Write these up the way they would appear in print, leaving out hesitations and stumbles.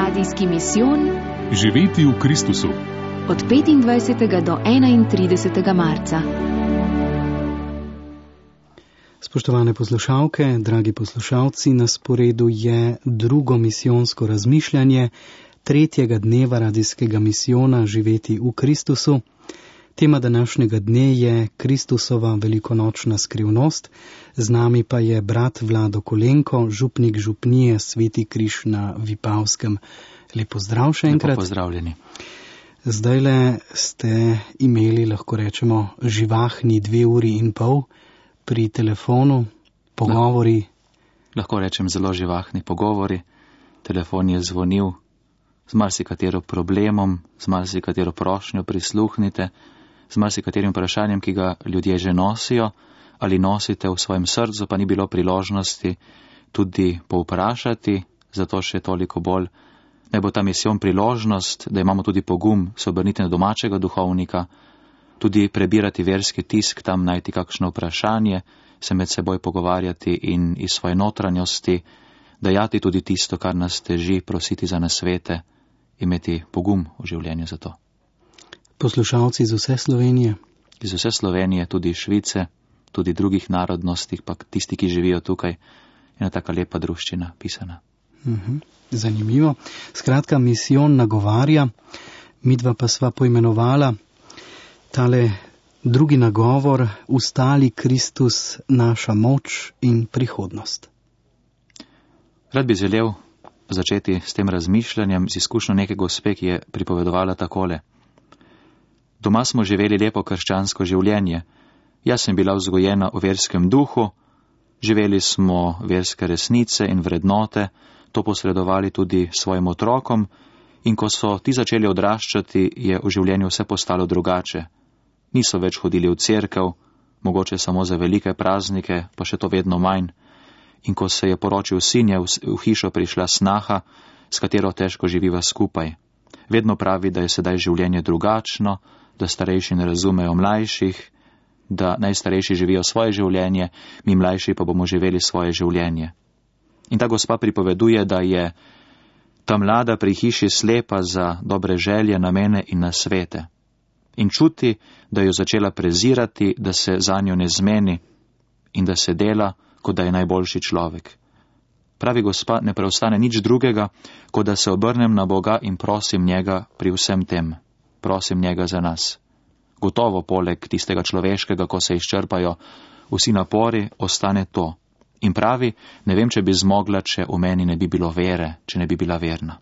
Radijski misijon Živeti v Kristusu od 25. do 31. marca. Spoštovane poslušalke, dragi poslušalci, na sporedu je drugo misijonsko razmišljanje tretjega dneva radijskega misijona Živeti v Kristusu. Tema današnjega dne je Kristusova velikonočna skrivnost. Z nami pa je brat Vlado Kolenko, župnik župnije Sveti križ na Vipavskem. Lep pozdrav še enkrat. Lepo pozdravljeni. Zdajle ste imeli, lahko rečemo, živahni 2 uri in pol pri telefonu, pogovori. Lahko rečem zelo živahni pogovori. Telefon je zvonil z marsikatero problemom, z marsikatero prošnjo prisluhnite, z marsikaterim vprašanjem, ki ga ljudje že nosijo ali nosite v svojem srcu, pa ni bilo priložnosti tudi povprašati, zato še toliko bolj naj bo ta misijon priložnost, da imamo tudi pogum se obrniti na domačega duhovnika, tudi prebirati verski tisk, tam najti kakšno vprašanje, se med seboj pogovarjati in iz svoje notranjosti dajati tudi tisto, kar nas teži, prositi za nasvete, imeti pogum v življenju za to. Poslušalci iz vse Slovenije? Iz vse Slovenije, tudi Švice, tudi drugih narodnostih, pa tisti, ki živijo tukaj, ena taka lepa druščina pisana. Zanimivo. Skratka, misijon nagovarja, midva pa sva poimenovala tale drugi nagovor, ustali Kristus, naša moč in prihodnost. Rad bi želel začeti s tem razmišljanjem z izkušnjo neke gospe, ki je pripovedovala takole. Doma smo živeli lepo krščansko življenje. Jaz sem bila vzgojena v verskem duhu, živeli smo verske resnice in vrednote, to posredovali tudi svojim otrokom, in ko so ti začeli odraščati, je v življenju vse postalo drugače. Niso več hodili v cerkev, mogoče samo za velike praznike, pa še to vedno manj. In ko se je poročil sin, je v hišo prišla snaha, s katero težko živiva skupaj. Vedno pravi, da je sedaj življenje drugačno, da starejši ne razumejo mlajših, da najstarejši živijo svoje življenje, mi mlajši pa bomo živeli svoje življenje. In ta gospa pripoveduje, da je ta mlada pri hiši slepa za dobre želje, namene in nasvete. In čuti, da jo začela prezirati, da se zanjo ne zmeni in da se dela, kot da je najboljši človek. Pravi gospa, ne preostane nič drugega, kot da se obrnem na Boga in prosim njega pri vsem tem. Prosim njega za nas. Gotovo poleg tistega človeškega, ko se izčrpajo vsi napori, ostane to. In pravi, ne vem, če bi zmogla, če v meni ne bi bilo vere, če ne bi bila verna.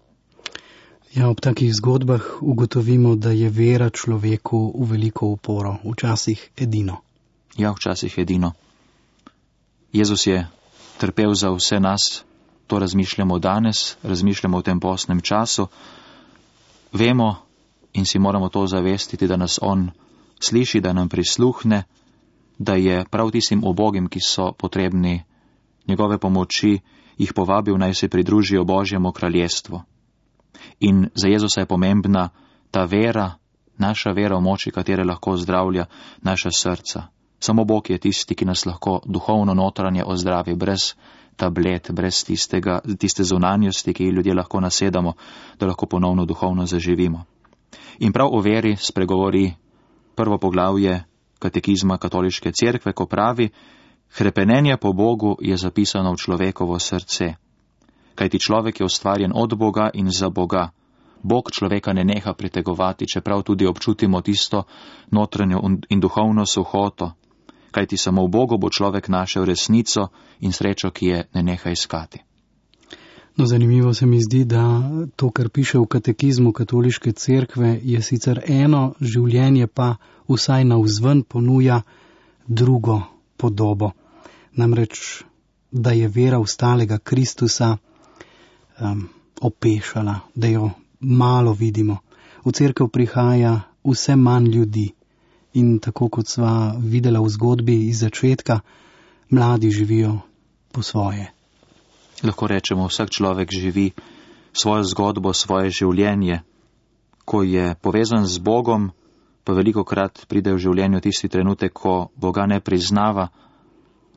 Ja, ob takih zgodbah ugotovimo, da je vera človeku v veliko uporo, včasih edino. Ja, včasih edino. Jezus je trpel za vse nas, to razmišljamo danes, razmišljamo v tem postnem času. Vemo in si moramo to zavestiti, da nas on sliši, da nam prisluhne, da je prav tistim ubogim, ki so potrebni njegove pomoči, jih povabil, naj se pridružijo Božjemu kraljestvu. In za Jezusa je pomembna ta vera, naša vera v moči, katere lahko zdravlja naša srca. Samo Bog je tisti, ki nas lahko duhovno notranje ozdravi, brez tablet, brez tiste zunanjosti, ki ljudje lahko nasedamo, da lahko ponovno duhovno zaživimo. In prav o veri spregovori prvo poglavje katekizma katoliške cerkve, ko pravi, hrepenenje po Bogu je zapisano v človekovo srce. Kajti človek je ustvarjen od Boga in za Boga. Bog človeka ne neha pritegovati, čeprav tudi občutimo tisto notranjo in duhovno suhoto. Kajti samo v Bogu bo človek našel resnico in srečo, ki je ne neha iskati. No, zanimivo se mi zdi, da to, kar piše v katekizmu katoliške cerkve, je sicer eno, življenje pa vsaj navzven ponuja drugo podobo. Namreč, da je vera ustalega Kristusa opešala, da jo malo vidimo. V cerkev prihaja vse manj ljudi in tako kot sva videla v zgodbi iz začetka, mladi živijo po svoje. Lahko rečemo, vsak človek živi svojo zgodbo, svoje življenje. Ko je povezan z Bogom, pa velikokrat pride v življenju tisti trenutek, ko Boga ne priznava,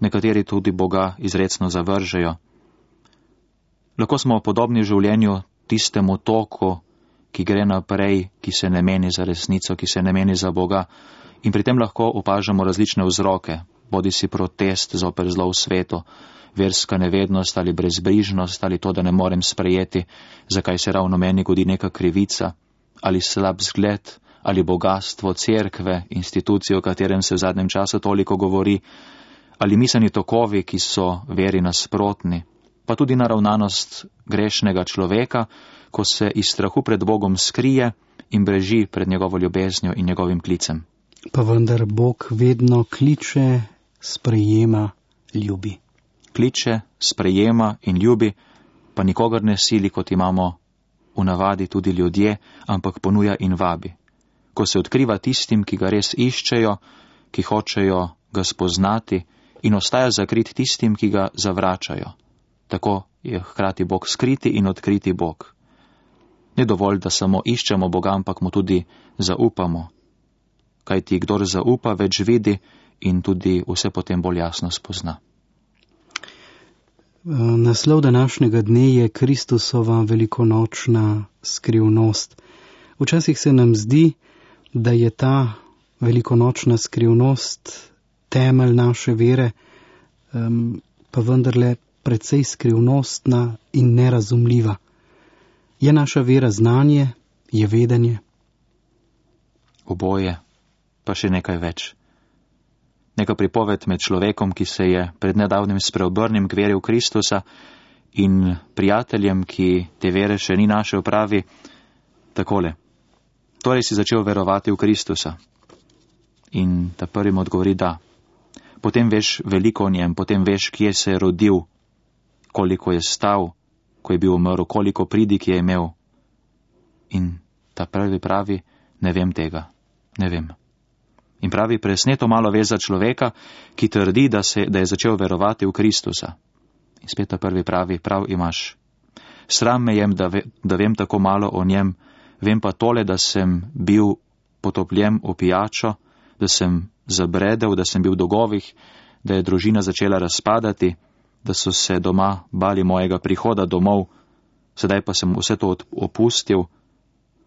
nekateri tudi Boga izrecno zavržejo. Lahko smo podobni v življenju tistemu toku, ki gre naprej, ki se ne meni za resnico, ki se ne meni za Boga. In pri tem lahko opažamo različne vzroke, bodisi protest zoper zlo v svetu, verska nevednost ali brezbrižnost, ali to, da ne morem sprejeti, zakaj se ravno meni godi neka krivica, ali slab zgled, ali bogatstvo cerkve, institucije, o katerem se v zadnjem času toliko govori, ali miselni tokovi, ki so veri nasprotni, pa tudi naravnanost grešnega človeka, ko se iz strahu pred Bogom skrije in beži pred njegovo ljubeznjo in njegovim klicem. Pa vendar Bog vedno kliče, sprejema, ljubi. Kliče, sprejema in ljubi, pa nikogar ne sili, kot imamo v navadi tudi ljudje, ampak ponuja in vabi. Ko se odkriva tistim, ki ga res iščejo, ki hočejo ga spoznati, in ostaja zakrit tistim, ki ga zavračajo. Tako je hkrati Bog skriti in odkriti Bog. Ni dovolj, da samo iščemo Boga, ampak mu tudi zaupamo. Kajti kdor zaupa, več vidi in tudi vse potem bolj jasno spozna. Naslov današnjega dne je Kristusova velikonočna skrivnost. Včasih se nam zdi, da je ta velikonočna skrivnost temelj naše vere, pa vendarle precej skrivnostna in nerazumljiva. Je naša vera znanje, je vedenje? Oboje, pa še nekaj več. Neka pripoved med človekom, ki se je pred nedavnim spreobrnil k veri v Kristusa, in prijateljem, ki te vere še ni našel, pravi takole. Torej si začel verovati v Kristusa. In ta prvi mu odgovori da. Potem veš veliko o njem, potem veš, kje se je rodil, koliko je stal, ko je bil umrl, koliko pridig je imel. In ta prvi pravi, ne vem tega, ne vem. In pravi, presneto malo ve za človeka, ki trdi, da je začel verovati v Kristusa. In spet ta prvi pravi, prav imaš. Sram me jem, da vem tako malo o njem, vem pa tole, da sem bil potopljen v pijačo, da sem zabredel, da sem bil v dolgovih, da je družina začela razpadati, da so se doma bali mojega prihoda domov, sedaj pa sem vse to opustil,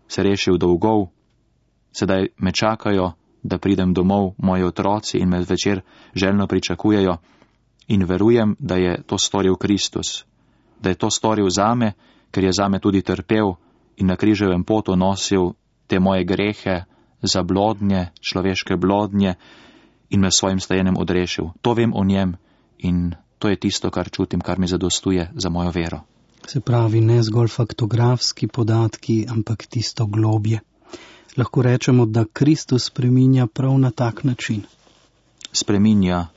se rešil dolgov, sedaj me čakajo, da pridem domov moji otroci in me večer željno pričakujejo in verujem, da je to storil Kristus, da je to storil zame, ker je zame tudi trpel in na križevem potu nosil te moje grehe, zablodnje, človeške blodnje in me svojim stajenjem odrešil. To vem o njem in to je tisto, kar čutim, kar mi zadostuje za mojo vero. Se pravi, ne zgolj faktografski podatki, ampak tisto globje. Lahko rečemo, da Kristus spreminja prav na tak način. Spreminja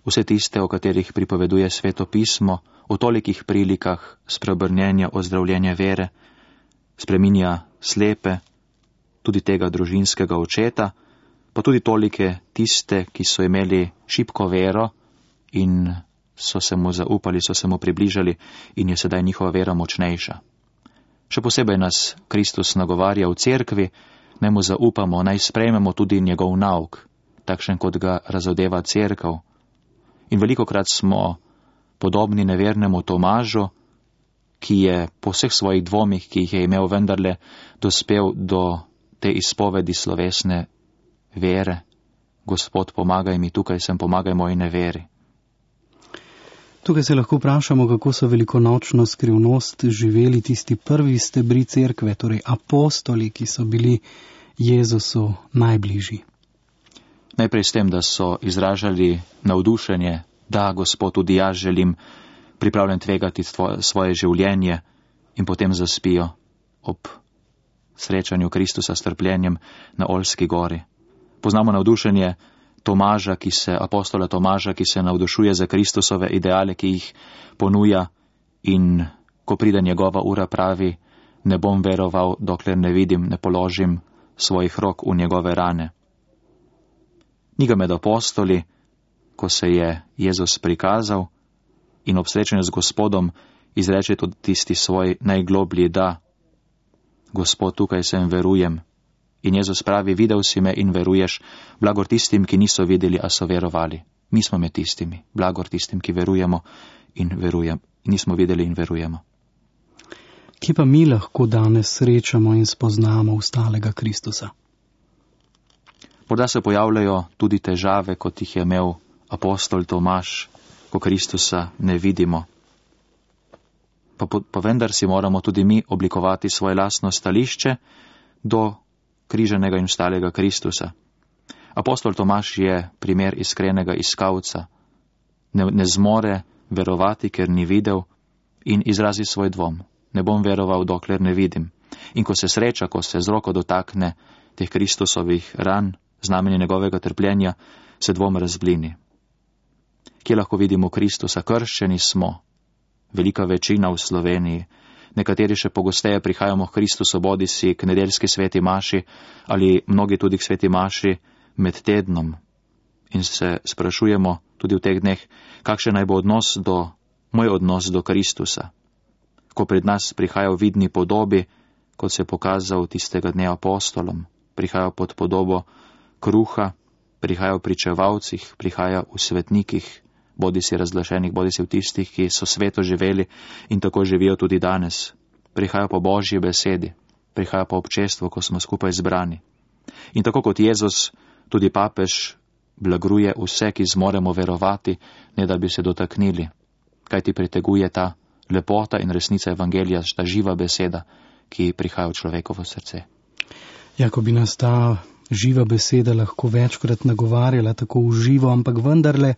vse tiste, o katerih pripoveduje Sveto pismo, v tolikih prilikah spreobrnjenja, ozdravljenja vere, spreminja slepe, tudi tega družinskega očeta, pa tudi tolike tiste, ki so imeli šibko vero in so se mu zaupali, so se mu približali in je sedaj njihova vera močnejša. Še posebej nas Kristus nagovarja v cerkvi, naj mu zaupamo, naj sprejmemo tudi njegov nauk, takšen kot ga razodeva cerkev. In velikokrat smo podobni nevernemu Tomažu, ki je po vseh svojih dvomih, ki jih je imel, vendarle dospel do te izpovedi slovesne vere. Gospod, pomagaj mi, tukaj sem, pomagaj moji neveri. Tukaj se lahko vprašamo, kako so velikonočno skrivnost živeli tisti prvi stebri cerkve, torej apostoli, ki so bili Jezusu najbližji. Najprej s tem, da so izražali navdušenje, da Gospod, tudi jaz želim, pripravljen tvegati svoje življenje, in potem zaspijo ob srečanju Kristusa s trpljenjem na Oljski gori. Poznamo navdušenje apostola Tomaža, ki se navdušuje za Kristusove ideale, ki jih ponuja, in ko pride njegova ura, pravi, ne bom veroval, dokler ne vidim, ne položim svojih rok v njegove rane. Ni ga med apostoli, ko se je Jezus prikazal in ob srečanju z Gospodom izreče tudi tisti svoj najgloblji da. Gospod, tukaj sem, verujem. In Jezus pravi, videl si me in veruješ, blagor tistim, ki niso videli, a so verovali. Mi smo med tistimi, blagor tistim, ki verujemo in nismo videli in verujemo. Kje pa mi lahko danes srečamo in spoznamo ustalega Kristusa? Morda se pojavljajo tudi težave, kot jih je imel apostol Tomaž, ko Kristusa ne vidimo. Pa vendar si moramo tudi mi oblikovati svoje lastno stališče do križanega in vstalega Kristusa. Apostol Tomaž je primer iskrenega iskalca. Ne zmore verovati, ker ni videl, in izrazi svoj dvom. Ne bom veroval, dokler ne vidim. In ko se sreča, ko se z roko dotakne teh Kristusovih ran, znamenje njegovega trpljenja, se dvom razblini. Kje lahko vidimo Kristusa? Krščeni smo. Velika večina v Sloveniji. Nekateri še pogosteje prihajamo k Kristusu, bodisi k nedeljski sveti maši ali mnogi tudi k sveti maši med tednom. In se sprašujemo tudi v teh dneh, kakšen naj bo moj odnos do Kristusa. Ko pred nas prihaja v vidni podobi, kot se je pokazal tistega dne apostolom, prihaja pod podobo kruha, prihaja v pričevalcih, prihaja v svetnikih, bodisi razglašenih, bodisi v tistih, ki so sveto živeli in tako živijo tudi danes. Prihaja po Božji besedi, prihaja po občestvu, ko smo skupaj zbrani. In tako kot Jezus, tudi papež blagruje vse, ki zmoremo verovati, ne da bi se dotaknili. Kaj ti priteguje ta lepota in resnica evangelija, ta živa beseda, ki prihaja v človekovo srce. Ja, ko bi nas ta živa beseda lahko večkrat nagovarjala tako v živo, ampak vendarle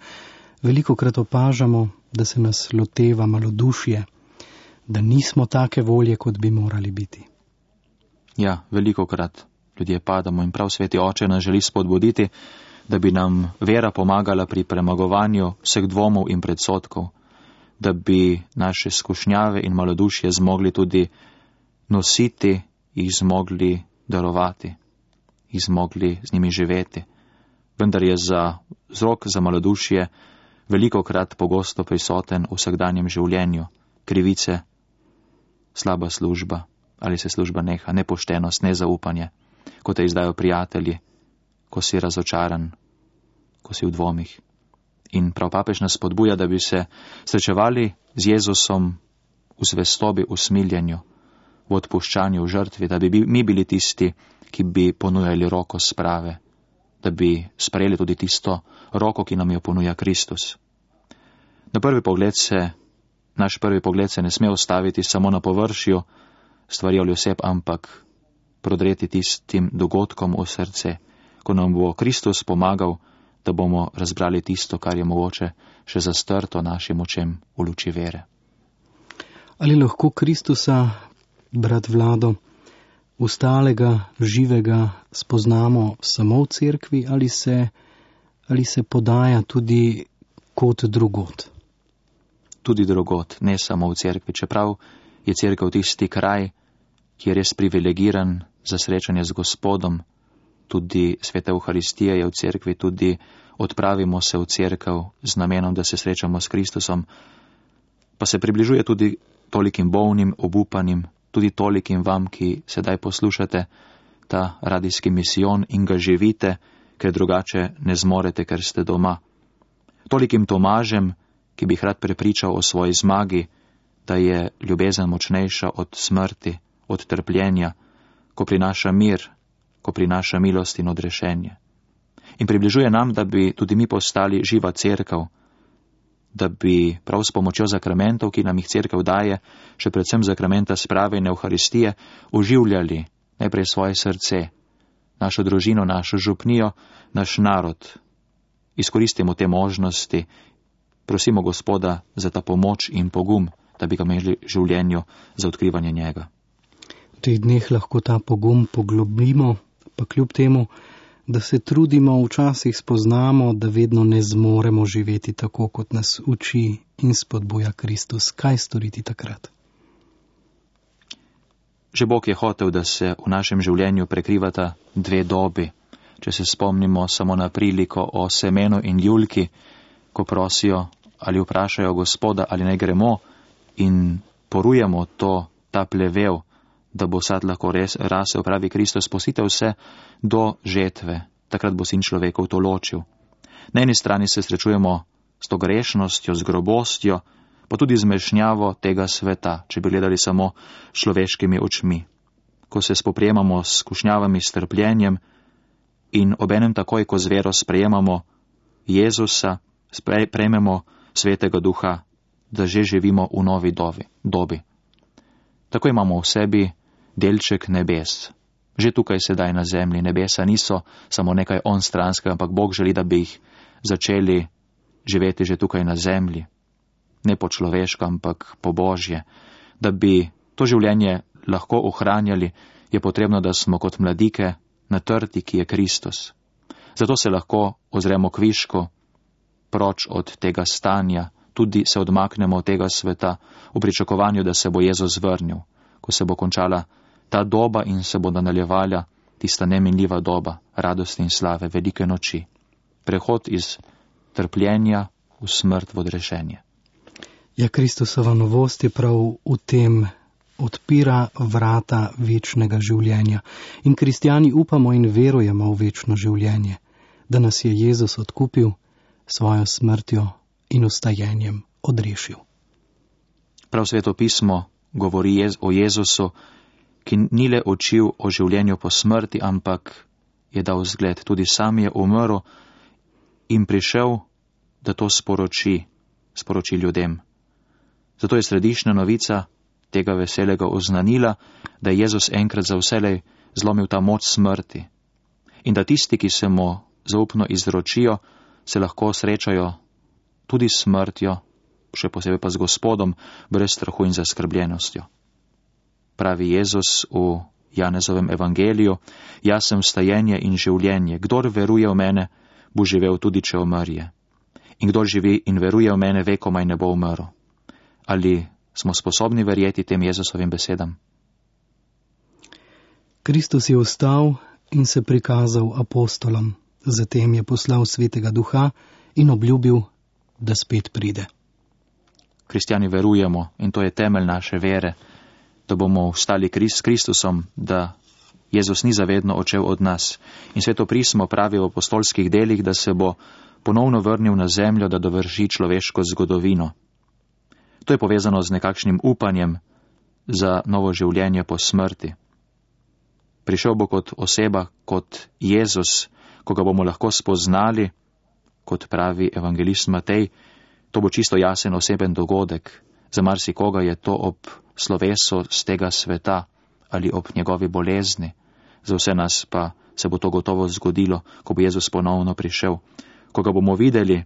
velikokrat opažamo, da se nas loteva malodušje, da nismo take volje, kot bi morali biti. Ja, velikokrat ljudje padamo in prav sveti Oče nas želi spodbuditi, da bi nam vera pomagala pri premagovanju vseh dvomov in predsodkov, da bi naše skušnjave in malodušje zmogli tudi nositi, jih zmogli darovati, jih zmogli z njimi živeti. Vendar je vzrok za malodušje velikokrat pogosto prisoten v vsakdanjem življenju. Krivice, slaba služba, ali se služba neha, nepoštenost, nezaupanje, ko te izdajo prijatelji, ko si razočaran, ko si v dvomih. In prav papež nas spodbuja, da bi se srečevali z Jezusom v zvestobi, v smiljenju, v odpuščanju, v žrtvi, da bi mi bili tisti, ki bi ponujali roko sprave, da bi sprejeli tudi tisto roko, ki nam jo ponuja Kristus. Naš prvi pogled se ne sme ostaviti samo na površju stvari ali oseb, ampak prodreti tistim dogodkom v srce, ko nam bo Kristus pomagal, da bomo razbrali tisto, kar je mogoče še zastrto našim očem v luči vere. Ali lahko Kristusa, brat Vlado, ustalega, živega spoznamo samo v cerkvi ali se podaja tudi kot drugot? Tudi drugot, ne samo v cerkvi. Čeprav je cerkev tisti kraj, ki je res privilegiran za srečanje z Gospodom, tudi sveta Euharistija je v cerkvi, tudi odpravimo se v cerkev z namenom, da se srečamo s Kristusom, pa se približuje tudi tolikim bolnim, obupanim, tudi tolikim vam, ki sedaj poslušate ta radijski misijon in ga živite, ker drugače ne zmorete, ker ste doma. Tolikim Tomažem, ki bi rad prepričal o svoji zmagi, da je ljubezen močnejša od smrti, od trpljenja, ko prinaša mir, ko prinaša milost in odrešenje. In približuje nam, da bi tudi mi postali živa cerkev, da bi prav s pomočjo zakramentov, ki nam jih cerkev daje, še predvsem zakramenta sprave in Euharistije, oživljali najprej svoje srce, našo družino, našo župnijo, naš narod. Izkoristimo te možnosti, prosimo Gospoda za ta pomoč in pogum, da bi ga imeli v življenju za odkrivanje njega. V teh dneh lahko ta pogum poglobimo, pa kljub temu, da se trudimo, včasih spoznamo, da vedno ne zmoremo živeti tako, kot nas uči in spodbuja Kristus. Kaj storiti takrat? Že Bog je hotel, da se v našem življenju prekrivata dve dobi. Če se spomnimo samo na priliko o semenu in ljulki, ko prosijo ali vprašajo Gospoda, ali naj gremo in porujemo ta plevel, da bo sad lahko res rasel, pravi Kristus, spustite vse do žetve, takrat bo sin človekov to ločil. Na eni strani se srečujemo s to grešnostjo, z grobostjo, pa tudi zmešnjavo tega sveta, če bi gledali samo človeškimi očmi. Ko se spoprijemamo s skušnjavami, s trpljenjem in obenem takoj, ko z vero sprejemamo Jezusa, prejmemo Svetega Duha, da že živimo v novi dobi. Tako imamo v sebi delček nebes. Že tukaj sedaj na zemlji nebesa niso samo nekaj onstranskega, ampak Bog želi, da bi jih začeli živeti že tukaj na zemlji. Ne po človeško, ampak po Božje. Da bi to življenje lahko ohranjali, je potrebno, da smo kot mladike na trti, ki je Kristus. Zato se lahko ozremo kviško proč od tega stanja, tudi se odmaknemo od tega sveta v pričakovanju, da se bo Jezus vrnil, ko se bo končala ta doba in se bo nadaljevala tista neminljiva doba radosti in slave, velike noči. Prehod iz trpljenja v smrt, v odrešenje. Ja, Kristusova novost je prav v tem, odpira vrata večnega življenja. In kristjani upamo in verujemo v večno življenje, da nas je Jezus odkupil svojo smrtjo in vstajenjem odrešil. Prav Sveto pismo govori o Jezusu, ki ni le učil o življenju po smrti, ampak je dal zgled. Tudi sam je umrl in prišel, da to sporoči ljudem. Zato je središčna novica tega veselega oznanila, da je Jezus enkrat za vselej zlomil ta moč smrti in da tisti, ki se mu zaupno izročijo, se lahko srečajo tudi s smrtjo, še posebej pa z Gospodom, brez strahu in zaskrbljenostjo. Pravi Jezus v Janezovem evangeliju: jaz sem vstajenje in življenje. Kdor veruje v mene, bo živel tudi, če umrje. In kdor živi in veruje v mene, vekomaj ne bo umrl. Ali smo sposobni verjeti tem Jezusovim besedam? Kristus je vstal in se prikazal apostolom. Zatem je poslal Svetega Duha in obljubil, da spet pride. Kristjani verujemo, in to je temelj naše vere, da bomo vstali s Kristusom, da Jezus ni zavedno odšel od nas. In Sveto pismo pravi v apostolskih delih, da se bo ponovno vrnil na zemljo, da dovrši človeško zgodovino. To je povezano z nekakšnim upanjem za novo življenje po smrti. Prišel bo kot oseba, kot Jezus, ko ga bomo lahko spoznali, kot pravi evangelist Matej. To bo čisto jasen oseben dogodek. Za marsikoga je to ob slovesu z tega sveta ali ob njegovi bolezni. Za vse nas pa se bo to gotovo zgodilo, ko bo Jezus ponovno prišel. Ko ga bomo videli,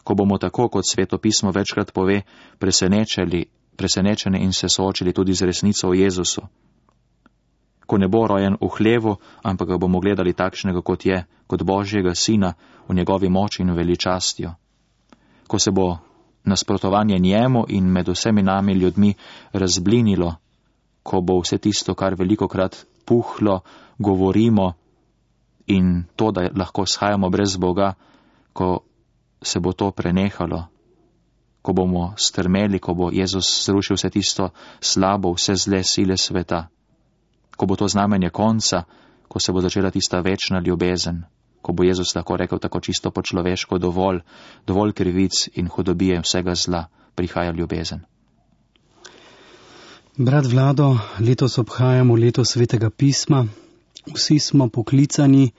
ko bomo tako, kot Sveto pismo večkrat pove, presenečeni in se soočili tudi z resnico o Jezusu. Ko ne bo rojen v hlevu, ampak ga bomo gledali takšnega, kot je, kot Božjega sina v njegovi moči in veličastjo. Ko se bo nasprotovanje njemu in med vsemi nami ljudmi razblinilo, ko bo vse tisto, kar velikokrat puhlo, govorimo in to, da lahko shajamo brez Boga, ko se bo to prenehalo, ko bomo strmeli, ko bo Jezus zrušil vse tisto slabo, vse zle sile sveta, ko bo to znamenje konca, ko se bo začela tista večna ljubezen, ko bo Jezus lahko rekel tako čisto po človeško: dovolj krivic in hudobije vsega zla, prihaja ljubezen. Brat Vlado, letos obhajamo leto Svetega pisma. Vsi smo poklicani,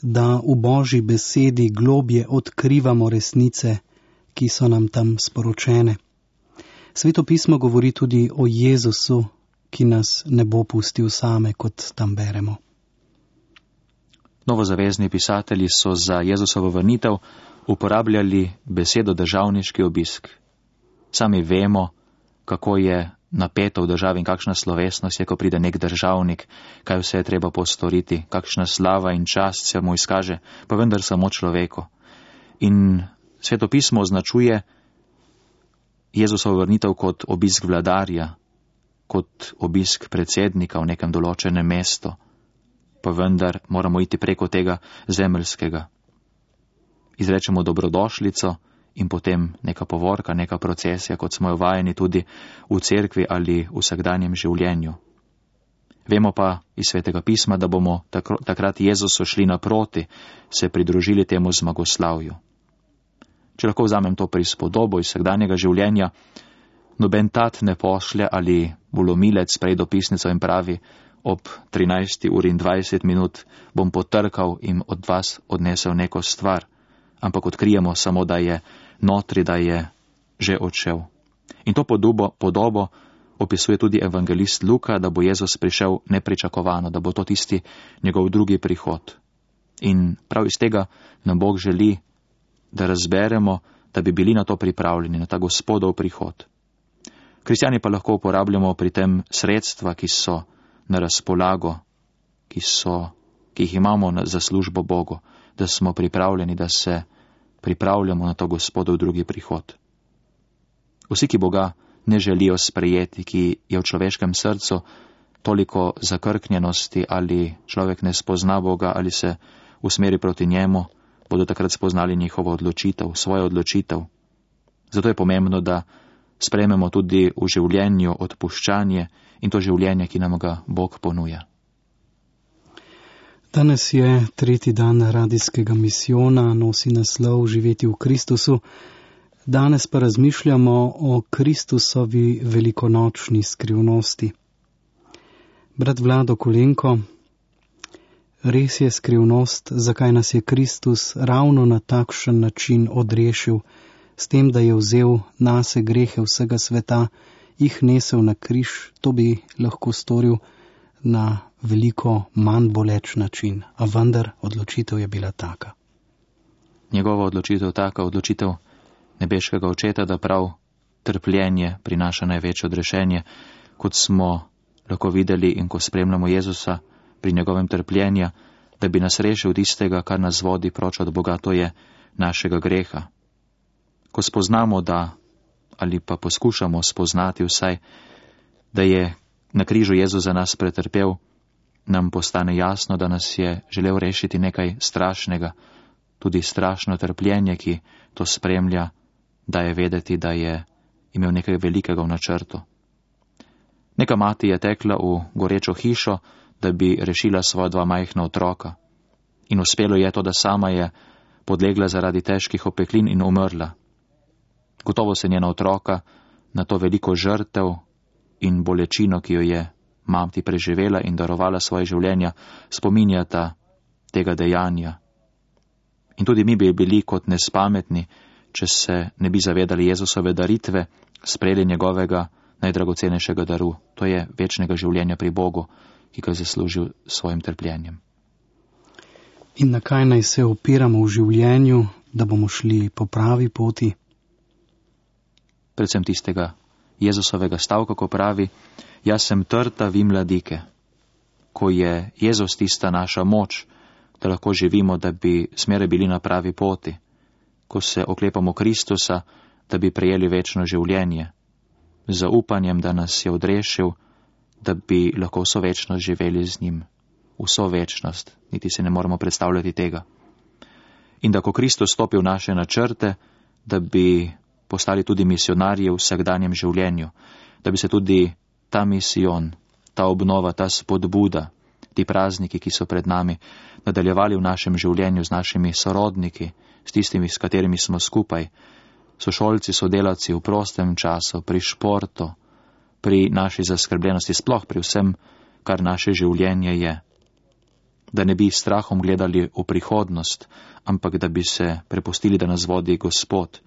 da v Božji besedi globje odkrivamo resnice, ki so nam tam sporočene. Sveto pismo govori tudi o Jezusu, ki nas ne bo pustil same, kot tam beremo. Novozavezni pisatelji so za Jezusovo vrnitev uporabljali besedo državniški obisk. Sami vemo, kako je napeto v državi in kakšna slovesnost je, ko pride nek državnik, kaj vse je treba postoriti, kakšna slava in čast se mu izkaže, pa vendar samo človeku. In Sveto pismo označuje Jezusovo vrnitev kot obisk vladarja, kot obisk predsednika v nekem določenem mestu, pa vendar moramo iti preko tega zemeljskega. Izrečemo dobrodošlico in potem neka povorka, neka procesija, kot smo jo vajeni tudi v cerkvi ali v vsakdanjem življenju. Vemo pa iz Svetega pisma, da bomo takrat Jezusu šli naproti, se pridružili temu zmagoslavju. Če lahko vzamem to prispodobo iz vsakdanjega življenja, Noben tat ne pošlje ali volomilec prej dopisnico in pravi, ob 13:20 bom potrkal in od vas odnesel neko stvar, ampak odkrijemo samo, da je notri, da je že odšel. In to podobo opisuje tudi evangelist Luka, da bo Jezus prišel nepričakovano, da bo to tisti njegov drugi prihod. In prav iz tega nam Bog želi, da razberemo, da bi bili na to pripravljeni, na ta Gospodov prihod. Kristjani pa lahko uporabljamo pri tem sredstva, ki so na razpolago, ki jih imamo za službo Bogu, da smo pripravljeni, da se pripravljamo na to Gospodov drugi prihod. Vsi, ki Boga ne želijo sprejeti, ki je v človeškem srcu toliko zakrknjenosti ali človek ne spozna Boga ali se usmeri proti njemu, bodo takrat spoznali njihovo odločitev, svojo odločitev. Zato je pomembno, da sprejmemo tudi v življenju odpuščanje in to življenje, ki nam ga Bog ponuja. Danes je 3. dan radijskega misijona, nosi naslov Živeti v Kristusu. Danes pa razmišljamo o Kristusovi velikonočni skrivnosti. Brat Vlado Kolenko, res je skrivnost, zakaj nas je Kristus ravno na takšen način odrešil, s tem, da je vzel nase grehe vsega sveta, jih nesel na križ, to bi lahko storil na veliko manj boleč način, a vendar odločitev je bila taka. Njegova odločitev taka, odločitev nebeškega očeta, da prav trpljenje prinaša največje odrešenje, kot smo lahko videli in ko spremljamo Jezusa pri njegovem trpljenju, da bi nas rešil tistega, kar nas vodi proč od Boga, to je našega greha. Ko spoznamo, da, ali pa poskušamo spoznati vsaj, da je na križu Jezus za nas pretrpel, nam postane jasno, da nas je želel rešiti nekaj strašnega, tudi strašno trpljenje, ki to spremlja, da je vedeti, da je imel nekaj velikega v načrtu. Neka mati je tekla v gorečo hišo, da bi rešila svoja 2 majhna otroka. In uspelo je to, da sama je podlegla zaradi težkih opeklin in umrla. Gotovo se njena otroka na to veliko žrtev in bolečino, ki jo je mati preživela in darovala svoje življenja, spominjata tega dejanja. In tudi mi bi bili kot nespametni, če se ne bi zavedali Jezusove daritve, sprejeli njegovega najdragocenejšega daru, to je večnega življenja pri Bogu, ki ga je zaslužil s svojim trpljenjem. In na kaj naj se opiramo v življenju, da bomo šli po pravi poti? Predvsem tistega Jezusovega stavka, ko pravi, jaz sem trta, vi mladike. Ko je Jezus tista naša moč, da lahko živimo, da bi smere bili na pravi poti. Ko se oklepamo Kristusa, da bi prejeli večno življenje. Z zaupanjem, da nas je odrešil, da bi lahko vso večnost živeli z njim. Vso večnost, niti se ne moramo predstavljati tega. In da ko Kristus stopi v naše načrte, da bi postali tudi misionarji v vsakdanjem življenju, da bi se tudi ta misijon, ta obnova, ta spodbuda, ti prazniki, ki so pred nami, nadaljevali v našem življenju z našimi sorodniki, s tistimi, s katerimi smo skupaj, sošolci, sodelavci v prostem času, pri športu, pri naši zaskrbljenosti, sploh pri vsem, kar naše življenje je. Da ne bi strahom gledali v prihodnost, ampak da bi se prepustili, da nas vodi Gospod,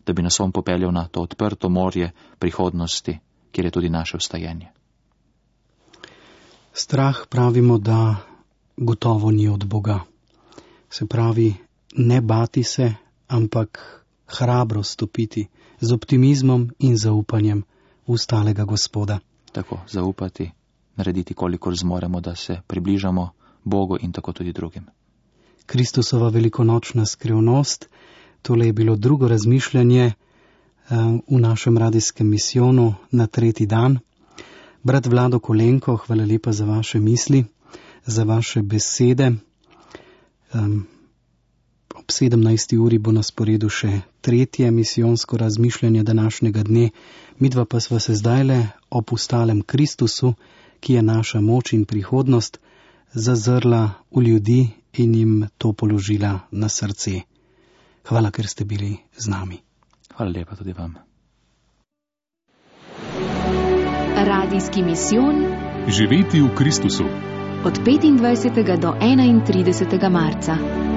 da bi nas on popeljal na to odprto morje prihodnosti, kjer je tudi naše vstajenje. Strah pravimo, da gotovo ni od Boga. Se pravi, ne bati se, ampak hrabro stopiti z optimizmom in zaupanjem v stalega Gospoda. Tako, zaupati, narediti kolikor zmoremo, da se približamo Bogu in tako tudi drugim. Kristusova velikonočna skrivnost, tole je bilo drugo razmišljanje v našem radijskem misijonu na 3. dan. Brat Vlado Kolenko, hvala lepa za vaše misli, za vaše besede. Ob 17. uri bo na sporedu še 3. misijonsko razmišljanje današnjega dne. Midva pa sva se zdajle ob ustalem Kristusu, ki je naša moč in prihodnost, zazrla v ljudi in jim to položila na srce. Hvala, ker ste bili z nami. Hvala lepa tudi vam. Radijski misijon Živeti v Kristusu. od 25. do 31. marca.